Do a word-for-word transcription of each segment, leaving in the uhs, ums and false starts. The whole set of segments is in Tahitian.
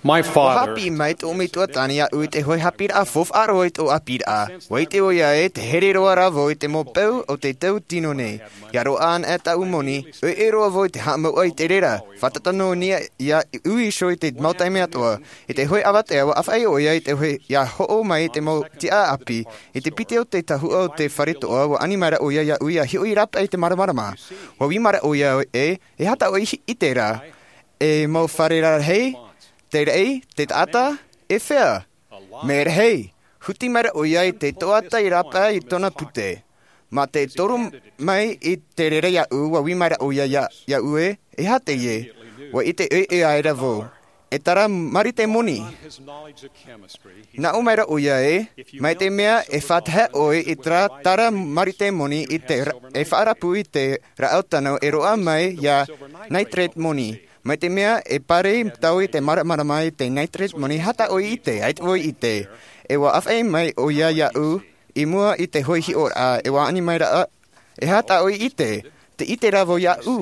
Ua haʻapiʻi mai tōʻu metua tāne iāʻu i te hoʻi haʻapiʻiraʻa faufaʻa roa i tōʻu ʻāpīraʻa. Ua ʻite ʻoia ē, te here roa rā vau i te mau peu o te tau tino nei. ʻIa roaʻa ana tāʻu moni, ʻoiʻoi roa vau i te haʻamauʻa i te reira. Fātata nō niʻa iāʻu iho i te mau taime atoʻa. I te hoʻi avatea, ua ʻāfaʻi ʻoia i te hoʻi ʻia hoʻo mai i te mau tiʻa ʻāpī, i te piti o te tahuʻa o te fare toʻa, ua ani mai ra ʻoia iāʻu ʻia hiʻo i rāpae i te māramarama. Ua ui mai ra ʻoia ē, e aha tā ʻoe i ʻite ra? E mau fare rarahi, te raʻi, te taʻata, e fea? Mea rahi, huti mai ra ʻoia i te toʻata i rāpae i tōna pute. Mā te toru mai i te reira iāʻu, ua ui mai ra ʻoia iā, iāʻu ē, e aha teie? Ua ʻite ʻoiʻoi aʻera vau. E tara marite moni. Nā ʻō mai ra ʻoia ē, mai te mea e faʻatahe ʻoe i terā tara marite moni i te ra-, e faʻarapu i te rāʻau tano e roaʻa mai iā nitrate moni. Mai te mea e pare tau i te māramarama i te nitrate moni, e aha tā ʻoe i ʻite, ʻaita vau i ʻite. E ua ʻāfaʻi mai ʻoia iāʻu i mua i te hoʻi hiʻoraʻa, e ua ani mai ra, e aha tā ʻoe i ʻite? Tē ʻite ra vau iāʻu.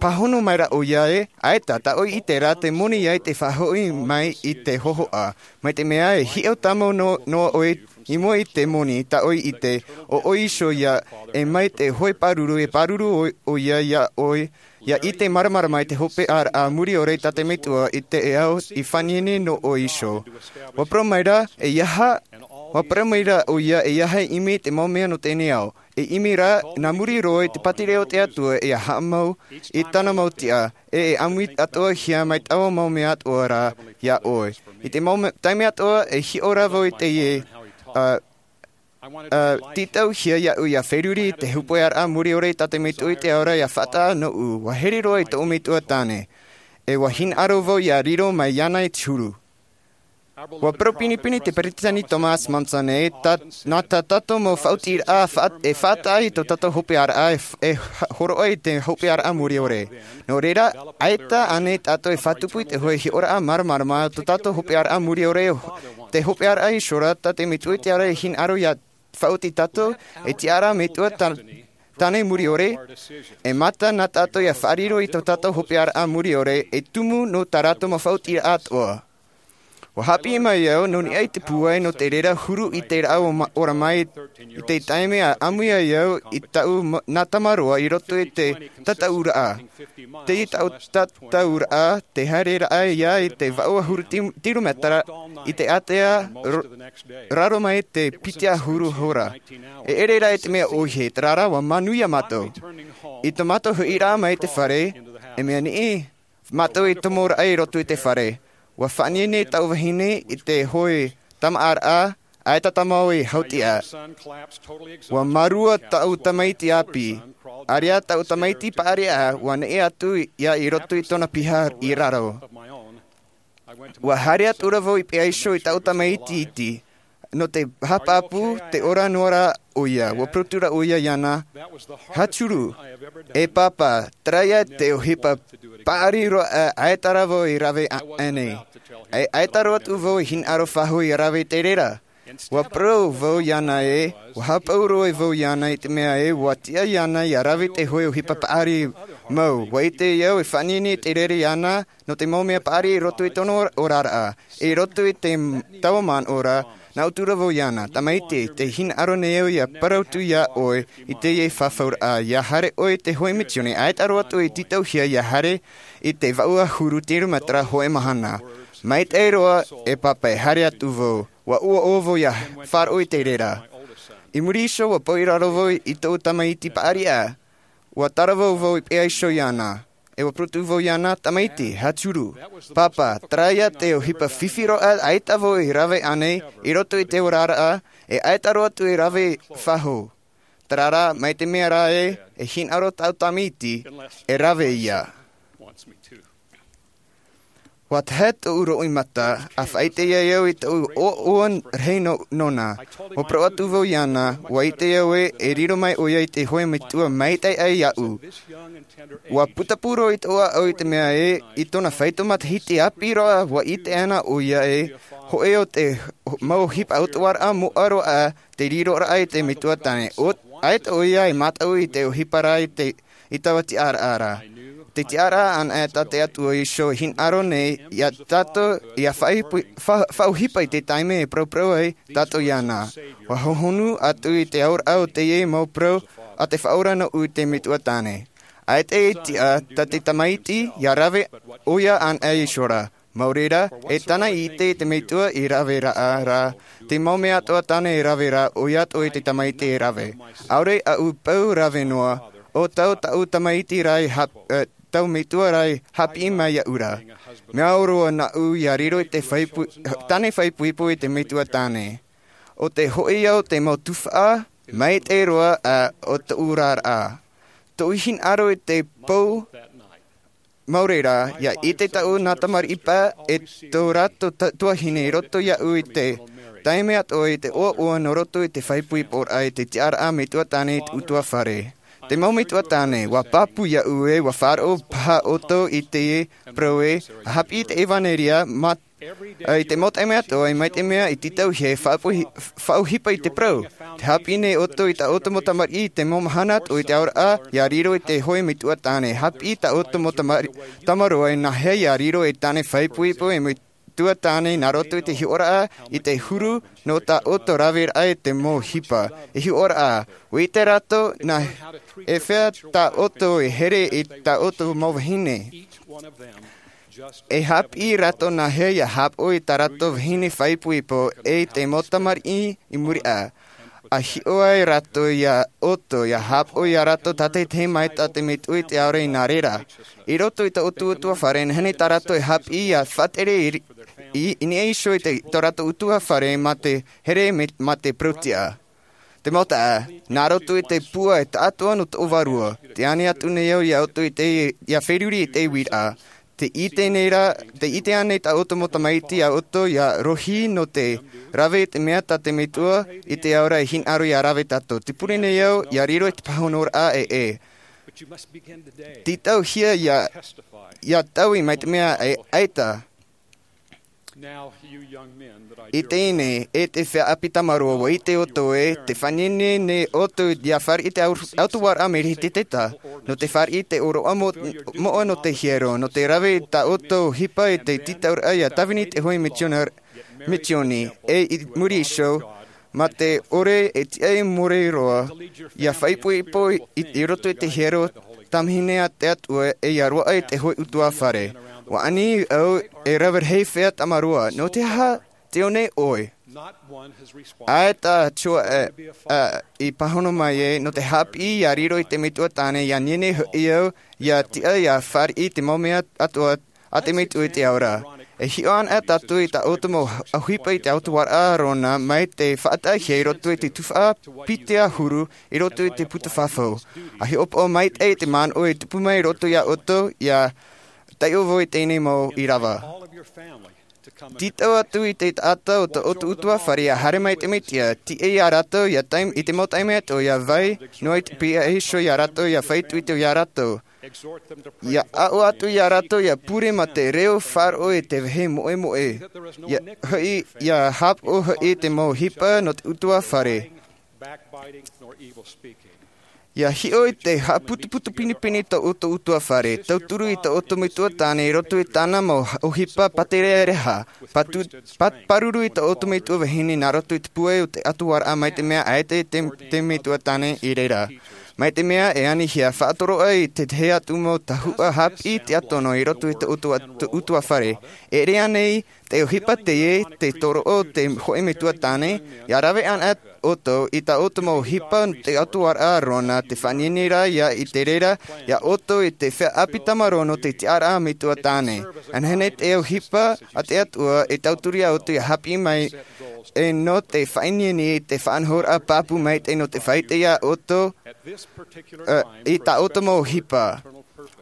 Pāhono mai ra ʻoia ē, ʻaita, tā ʻoe i ʻite ra te moni ïa i te faʻahoʻi mai i te hōhoʻa. Mai te mea e hiʻo tāmau nō, noa ʻoe i mua i te moni, tā ʻoe i ʻite, ʻo ʻoe iho ïa, e mai te hoʻi pāruru, e pāruru ʻo, ʻoia iā ʻoe, ʻia ʻite māramarama i te hopeʻaraʻa muri ʻore tā te Metua i te ao i faʻaineinei nō ʻoe iho. Ua parau mai ra, e aha, ua parau mai ra ʻoia, e aha e ʻimi i te mau mea nō teie nei ao. E ʻimi rā, nā muri roa i te pātireia o te Atua, e haʻamau i tāna mau tiʻa, e, e ʻāmui atoʻahia mai taua mau mea atoʻa ra iā ʻoe. I te mau me-, taime atoʻa, e hiʻo ra vau i teie, ā, ā, tītauhia iāʻu ʻia feruri i te hopeʻaraʻa muri ʻore tā te Metua i te ao ra ʻia faʻataʻa nōʻu, ua here roa i tōʻu metua tāne. E ua hinaʻaro vau ʻia riro mai iāna i te huru. Ua parau pinepine te Peresideni Thomas Monson ē, tā, nā tā tātou mau faʻaotiraʻa faʻa-, e faʻataʻa i tō tātou hopeʻaraʻa e f-, e ha-, hōroʻa i te hopeʻaraʻa muri ʻore. Nō reira, ʻaita ānei tātou e faʻatupu i te hoʻi hiʻoraʻa māramarama o tō tātou hopeʻaraʻa muri ʻore, te hopeʻaraʻa iho ra tā te Metua i te ao ra e hinaʻaro ʻia faʻaoti tātou, e tiʻa ra metua tā-, tāne muri ʻore, e mata nā tātou ʻia faʻariro i tō tātou hopeʻaraʻa muri ʻore, e tumu nō tā rātou mau faʻaotiraʻa atoʻa. Ua haʻapiʻi mai au, nō niʻa i te pūai nō te reira huru i te rāʻau o ma-, ora mai i te taime a ʻāmui ai au i tāʻu ma-, nā tamaroa i roto i te tataʻuraʻa. Te tau-, tataʻuraʻa, te haereraʻa ïa i te vaʻu ʻahuru ti-, tirometera i te ātea ro-, raro mai te piti ʻahuru hora. E ʻere rā i te mea ʻōhie, terā rā, ua manuia mātou. I tō mātou hoʻiraʻa mai i te fare, e mea niʻi, mātou i tomoraʻa i roto i te fare. Ua faʻaineinei tāʻu vahine i te hoʻi tamaʻaraʻa, ʻaita tāmau i hautiʻa. Ua mārua tāʻu tamaiti ʻāpī. ʻAreʻa tāʻu tamaiti paʻari, ua neʻe atu ïa i roto i tōna piha i raro. Ua haere atu ra vau i peʻa iho i tāʻu tamaiti iti. Nō te haʻapāpū, tē ora noa ra ʻoia, ua parau atu ra ʻoia iāna, Hachuru, e pāpā, terā ïa te ʻohipa paʻari roa ʻaita rā vau i rave a-, ānei. E ʻaita roa atu vau i hinaʻaro faʻahou ʻia rave i te reira. Ua parau vau iāna ē, ua haʻapaʻo roa vau iāna i te mea ē, ʻua tiʻa iāna ʻia rave i te hoʻi ʻohipa paʻari mau. ʻUa ʻite au e faʻaineinei te reira iāna, nō te mau mea paʻari i roto i tōna ora-, oraraʻa. I roto i te m-, taua manaʻo ra, nā ʻō atu ra vau iāna, tamaiti, tē hinaʻaro nei au ʻia parau atu iā ʻoe i teie fafauraʻa, ʻia haere ʻoe i te hoʻi misiōni, ʻaita roa atu e tītauhia ʻia haere i te vaʻu ʻahuru tirometera hoʻi mahana. Maitaʻi roa, e pāpā, e haere atu vau. ʻUa ʻoaʻoa vau ʻia faʻaroʻo i te reira. I muri iho, ʻua pau i raro vau i tōʻu tamaiti paʻari. ʻUa tarava vau i peʻa iho iāna. E ʻua parau atu vau iāna, tamaiti, Hachuru, pāpā, terā ïa te ʻohipa fifi roa ʻaita vau i rave ānei, i roto i te oraraʻa, e ʻaita roa atu e rave faʻahou. Terā rā, mai te mea rā ē, e hinaʻaro tāʻu tamaiti, e rave ïa. ʻUa tahe tōʻu roimata, ʻa faʻaʻite ai au i tōʻu ʻoaʻoa rahi nō, nōna. ʻUa parau atu vau iāna, ʻua ʻite au ē, e riro mai ʻoia i te hoʻi metua maitaʻi aʻe iāʻu. ʻUa putapū roa i tōʻu ʻāʻau i te mea ē, i tōna faito matahiti ʻāpī roa, ʻua ʻite ana ʻoia ē, hōʻē o te ho-, mau ʻohipa ʻautahuʻaraʻa moʻa roa te riroraʻa i te metua tāne. ʻO, ʻaita ʻoia e mātau i te ʻohipa ra i te, i taua tiʻaraʻa ra. Te tiʻaraʻa anaʻe tā te Atua Iēsū e hinaʻaro nei iā tātou, ʻia faʻaʻohipa i te taime e paraparau ai tātou iāna. ʻUa hohonu atu i te auraʻa o teie mau parau a te Faʻaora nōʻu i te metua tāne. ʻAita e tiʻa tā te tamaiti ʻia rave ʻoia anaʻe iho ra. Mau reira, e tāna i ʻite te metua i rave ra, te mau mea atoʻa tāna e rave ra, ʻoia atoʻa i te tamaiti e rave. ʻAore aʻu e pau rave noa, ʻo tau taʻu tamaiti ra e hap-, e, tau metua ra e haʻapiʻi mai iāʻu ra. Mea ʻore roa nāʻu ʻia riro i te faipu-, tāne faipoipo i te metua tāne. ʻO te hoʻi au te mau tufaʻa maitaʻi roa ʻa tōʻu oraraʻa. Tōʻu hinaʻaro i te pō, mau reira, ʻia ʻite taʻu nā tamariʻi paʻi e tō rātou ta-, tuahine i roto iāʻu i te taime atoʻa i te ʻoaʻoa nō roto i te faipoiporaʻa i te tiʻaraʻa metua tāne i te ʻutuāfare. Te mau metua tāne, ʻua pāpū iāʻu ē, ʻua faʻaroʻo paha ʻoutou i te parau ē, ʻa haʻapiʻi i te ʻevanelia, mā, ā, i te mau taime atoʻa, ʻe mai te mea i tītauhia e faʻapohi-, faʻaʻohipa i te parau. Tē haʻapiʻi nei ʻoutou i tā ʻoutou mau tamariʻi i te mau mahana atoʻa i te auraʻa, ʻia riro i te hōʻē metua tāne. Haʻapiʻi i tā ʻoutou mau tamari-, tamaroa e nāhea ʻia riro ei tāne faipoipo e me- tua tāne nā roto i te hiʻoraʻa i te huru nō tā ʻoutou raveraʻa i te mau ʻohipa. E hiʻoraʻa, ʻua ʻite rātou nā hea tā ʻoutou e here i tā ʻoutou mau vahine. E haʻapiʻi rātou nā hea ʻia haʻapaʻo i tā rātou vahine faipoipo ʻe i te mau tamariʻi i muri aʻe. ʻA hiʻo ai rātou iā ʻoutou, ʻia haʻapaʻo iā rātou tātaʻitahi mai tā te metua i te ao ra i nā reira. I roto i tō ʻoutou ʻutuāfare, e nehenehe tā rātou e haʻapiʻi ʻia faʻatere i, i, i niʻa iho i te, tō rātou ʻutuāfare mā te here me, mā te parau-tiʻa. Te mau taeaʻe, nā roto i te pūai taʻatoʻa nō tō vārua, tē ani atu nei au iā ʻoutou i te, ʻia feruri i te uiraʻa. Tē ʻite nei rā, tē ʻite ānei tā ʻoutou mau tamaiti iā ʻoutou ʻia rohi nō te rave i te mea tā te metua i te ao ra e hinaʻaro ʻia rave tātou? Tē pure nei au ʻia riro i te pāhonoraʻa ē, ē. Tītauhia ʻia, ʻia taui mai te mea ē, ʻaita. I teie nei, e te feiā ʻāpī tamaroa, ʻua ʻite ʻoutou ē, tē faʻaʻite nei ʻoutou ʻia fāriʻi te au-, ʻautuaraʻa mai te ʻētita, nō te fāriʻi te ʻōroʻa mo-, moʻa nō te hiero, nō te rave i tā ʻoutou ʻohipa i te tītauraʻa ʻia tāvini i te hōʻē misiona-, misioni, ʻe i muri iho, mā te ʻore e tiʻa e more roa, ʻia faʻaipoipo i, i roto i te hiero, tamahine a te Atua ʻe ʻia roaʻa i te hōʻē ʻutuāfare. ʻUa ani au e rave rahi feiā tamaroa, nō te aha tē ʻō nei ʻoe? ʻAita te ʻoaʻoa, ā, i pāhono mai ē, nō te haʻapiʻi ʻia riro i te metua tāne, ʻia nehenehe hoʻi au ʻia tiʻa ʻia fāriʻi te mau mea atoʻa a te metua i te ao ra. E hiʻo anaʻe tātou i tā ʻoutou mau ʻohipa i te ʻautuaraʻa Arona mai te faʻataʻahia i roto i te tuhaʻa piti ʻahuru i roto i te puta fafau. ʻA hiʻopoʻa maitaʻi i te manaʻo e tupu mai i roto iā ʻoutou, ʻia taiʻo vau i teie nei mau ʻīrava. Tītau atu i te taʻata o tō ʻoutou ʻutuāfare ʻia haere mai te Mesia, tiʻa iā rātou ʻia tae-, i te mau taime atoʻa ʻia vai noa i te piʻi iho iā rātou, ʻia faʻaitoito iā rātou. ʻIa aʻo atu iā rātou ʻia pure mā te reo faʻaroʻo i te vāhi moʻemoʻe. ʻIa hoʻi, ʻia haʻapaʻo hoʻi te mau ʻohipa nō te ʻutuāfare. ʻIa hiʻo i te haʻaputuputu pinepine tō ʻoutou ʻutuāfare, tauturu i tō ʻoutou metua tāne i roto i tāna mau ʻohipa pātereareha, patu-, pa-, pāruru i tō ʻoutou metua vahine nā roto i te pūai o te ʻautuaraʻa, mai te mea ʻaita te, te metua tāne i reira. Mai te mea e anihia, faʻatoroʻa i te tahi atu mau tahuʻa haʻapiʻi tiʻatono i roto i tō ʻoutou atu-, ʻutuāfare. E ʻere ānei te ʻohipa teie, te toroʻa o te hōʻē metua tāne, ʻia rave anaʻe ʻoutou i tā ʻoutou mau ʻohipa nō te ʻautuaraʻa Arona, tē faʻaʻite nei rā ʻia ʻite reira iā ʻoutou i te feiā ʻāpī tamaroa nō te tiʻaraʻa metua tāne. E nehenehe te ʻohipa a te Atua e tauturu iā ʻoutou ʻia haʻapiʻi mai, ʻe nō te faʻaʻite nei te faʻanahoraʻa pāpū maitaʻi nō te faʻaʻite iā ʻoutou, ā, i tā ʻoutou mau ʻohipa.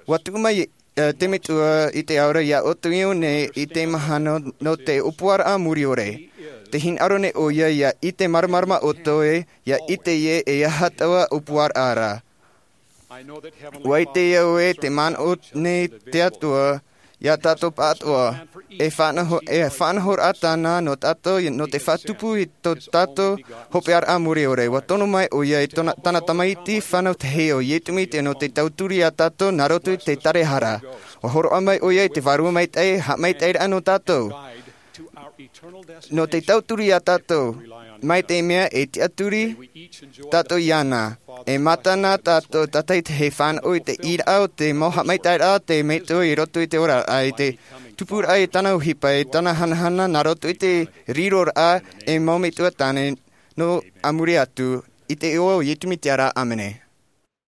ʻUa tuʻu mai ā, te Metua i te ao ra iā ʻoutou i ʻō nei i te mahana nō te ʻōpuaraʻa mure ʻore. Tē hinaʻaro nei ʻoia ʻia ʻite māramarama ʻoutou ē, ʻia ʻite ē e aha taua ʻōpuaraʻa ra. ʻUa ʻite au ē, tē manaʻo nei te Atua iā tātou pāʻatoʻa, e faʻanaho e faʻanahoraʻa tāna nō tātou nō te faʻatupu i tō tātou hopeʻaraʻa mure ʻore. Ua tono mai ʻoia i tōna tāna tamaiti fānau tahi ʻo iesu mesia nō te tauturu iā tātou nā roto i te tārahara. Ua hōroʻa mai ʻoia i te vārua maitaʻi haʻamaitaʻiraʻa nō tātou, nō te tauturu iā tātou mai te mea e tiʻaturi tātou iāna. E mātana tātou tātaitahi e fānaʻo i te ʻīraʻa o te mau haʻamaitaʻiraʻa te metua i roto i te oraraʻa i te tupuraʻa i tāna ʻohipa i tāna hanahana nā roto i te riroraʻa e mau metua tāne nō a muri atu. I te iʻoa o iesu mesia rā, ʻāmene.